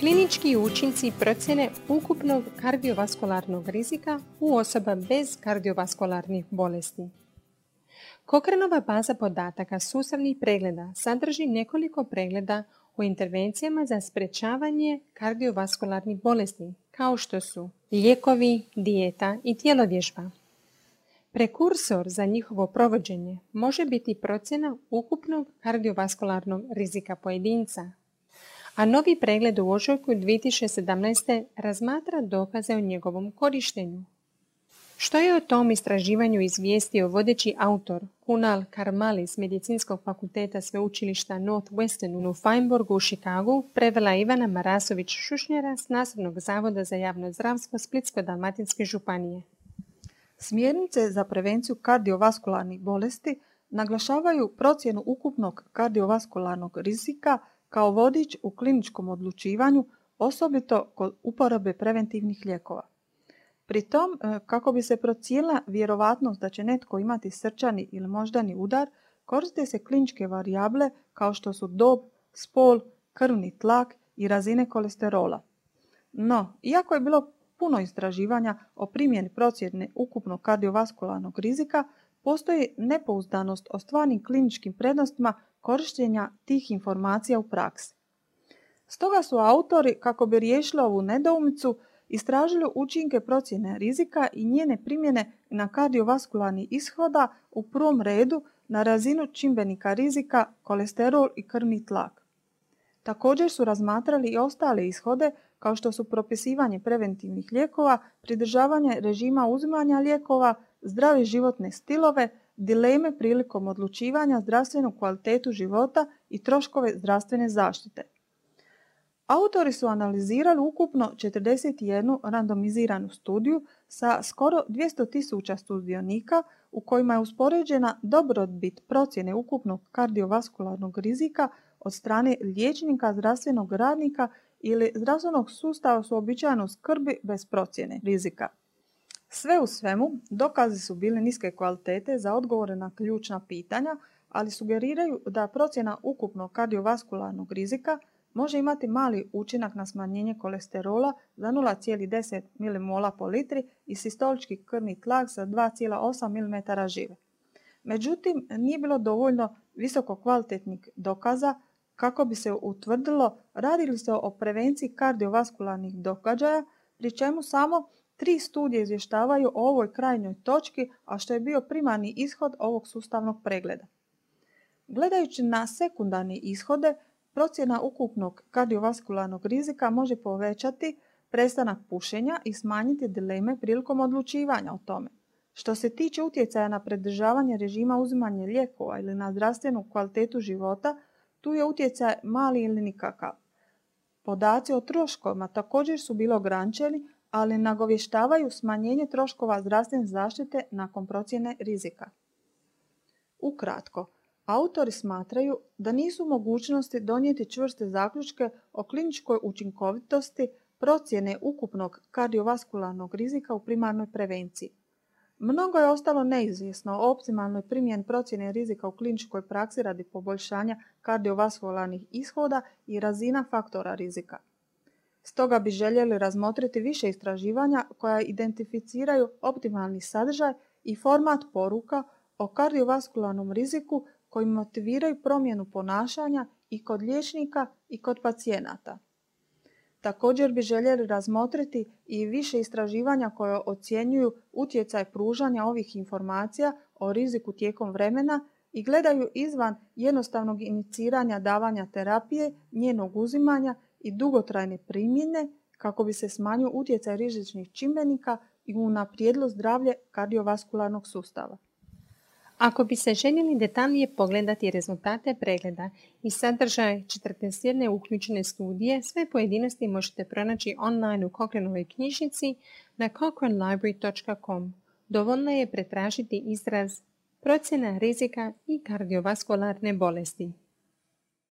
Klinički učinci procjene ukupnog kardiovaskularnog rizika u osoba bez kardiovaskularnih bolesti. Cochraneova baza podataka sustavnih pregleda sadrži nekoliko pregleda o intervencijama za sprečavanje kardiovaskularnih bolesti, kao što su lijekovi, dijeta i tjelovježba. Prekursor za njihovo provođenje može biti procjena ukupnog kardiovaskularnog rizika pojedinca, a novi pregled u ožujku 2017. razmatra dokaze o njegovom korištenju. Što je o tom istraživanju izvijestio vodeći autor Kunal Karmali s Medicinskog fakulteta sveučilišta Northwestern u Feinbergu u Chicagu, prevela Ivana Marasović-Šušnjara s Nastavnog zavoda za javno zdravstvo Splitsko-dalmatinske županije. Smjernice za prevenciju kardiovaskularnih bolesti naglašavaju procjenu ukupnog kardiovaskularnog rizika kao vodič u kliničkom odlučivanju, osobito kod uporabe preventivnih lijekova. Pri tom, kako bi se procijenila vjerovatnost da će netko imati srčani ili moždani udar, koriste se kliničke varijable kao što su dob, spol, krvni tlak i razine kolesterola. No, iako je bilo puno istraživanja o primjeni procjene ukupnog kardiovaskularnog rizika, postoji nepouzdanost o stvarnim kliničkim prednostima korištenja tih informacija u praksi. Stoga su autori, kako bi riješili ovu nedoumicu, istražili učinke procjene rizika i njene primjene na kardiovaskularni ishoda u prvom redu na razinu čimbenika rizika, kolesterol i krvni tlak. Također su razmatrali i ostale ishode kao što su propisivanje preventivnih lijekova, pridržavanje režima uzimanja lijekova, zdrave životne stilove, dileme prilikom odlučivanja, zdravstvenu kvalitetu života i troškove zdravstvene zaštite. Autori su analizirali ukupno 41 randomiziranu studiju sa skoro 200.000 sudionika u kojima je uspoređena dobrobit procjene ukupnog kardiovaskularnog rizika od strane liječnika, zdravstvenog radnika ili zdravstvenog sustava s uobičajenom skrbi bez procjene rizika. Sve u svemu, dokazi su bili niske kvalitete za odgovore na ključna pitanja, ali sugeriraju da procjena ukupnog kardiovaskularnog rizika može imati mali učinak na smanjenje kolesterola za 0,10 mmol po litri i sistolički krvni tlak za 2,8 mm žive. Međutim, nije bilo dovoljno visoko kvalitetnih dokaza kako bi se utvrdilo radi li se o prevenciji kardiovaskularnih događaja, pri čemu samo 3 studije izvještavaju o ovoj krajnjoj točki, a što je bio primarni ishod ovog sustavnog pregleda. Gledajući na sekundarne ishode, procjena ukupnog kardiovaskularnog rizika može povećati prestanak pušenja i smanjiti dileme prilikom odlučivanja o tome. Što se tiče utjecaja na pridržavanje režima uzimanja lijekova ili na zdravstvenu kvalitetu života, tu je utjecaj mali ili nikakav. Podaci o troškovima također su bili ograničeni, ali nagovještavaju smanjenje troškova zdravstvene zaštite nakon procjene rizika. Ukratko, autori smatraju da nisu u mogućnosti donijeti čvrste zaključke o kliničkoj učinkovitosti procjene ukupnog kardiovaskularnog rizika u primarnoj prevenciji. Mnogo je ostalo neizvjesno o optimalnoj primjeni procjene rizika u kliničkoj praksi radi poboljšanja kardiovaskularnih ishoda i razina faktora rizika. Stoga bi željeli razmotriti više istraživanja koja identificiraju optimalni sadržaj i format poruka o kardiovaskularnom riziku koji motiviraju promjenu ponašanja i kod liječnika i kod pacijenata. Također bi željeli razmotriti i više istraživanja koja ocjenjuju utjecaj pružanja ovih informacija o riziku tijekom vremena i gledaju izvan jednostavnog iniciranja davanja terapije, njenog uzimanja i dugotrajne primjene kako bi se smanjio utjecaj rizičnih čimbenika i unaprijedilo zdravlje kardiovaskularnog sustava. Ako bi se željeli detaljnije pogledati rezultate pregleda i sadržaj 41 uključene studije, sve pojedinosti možete pronaći online u Cochraneovoj knjižnici na cochranelibrary.com. Dovoljno je pretražiti izraz procjena rizika i kardiovaskularne bolesti.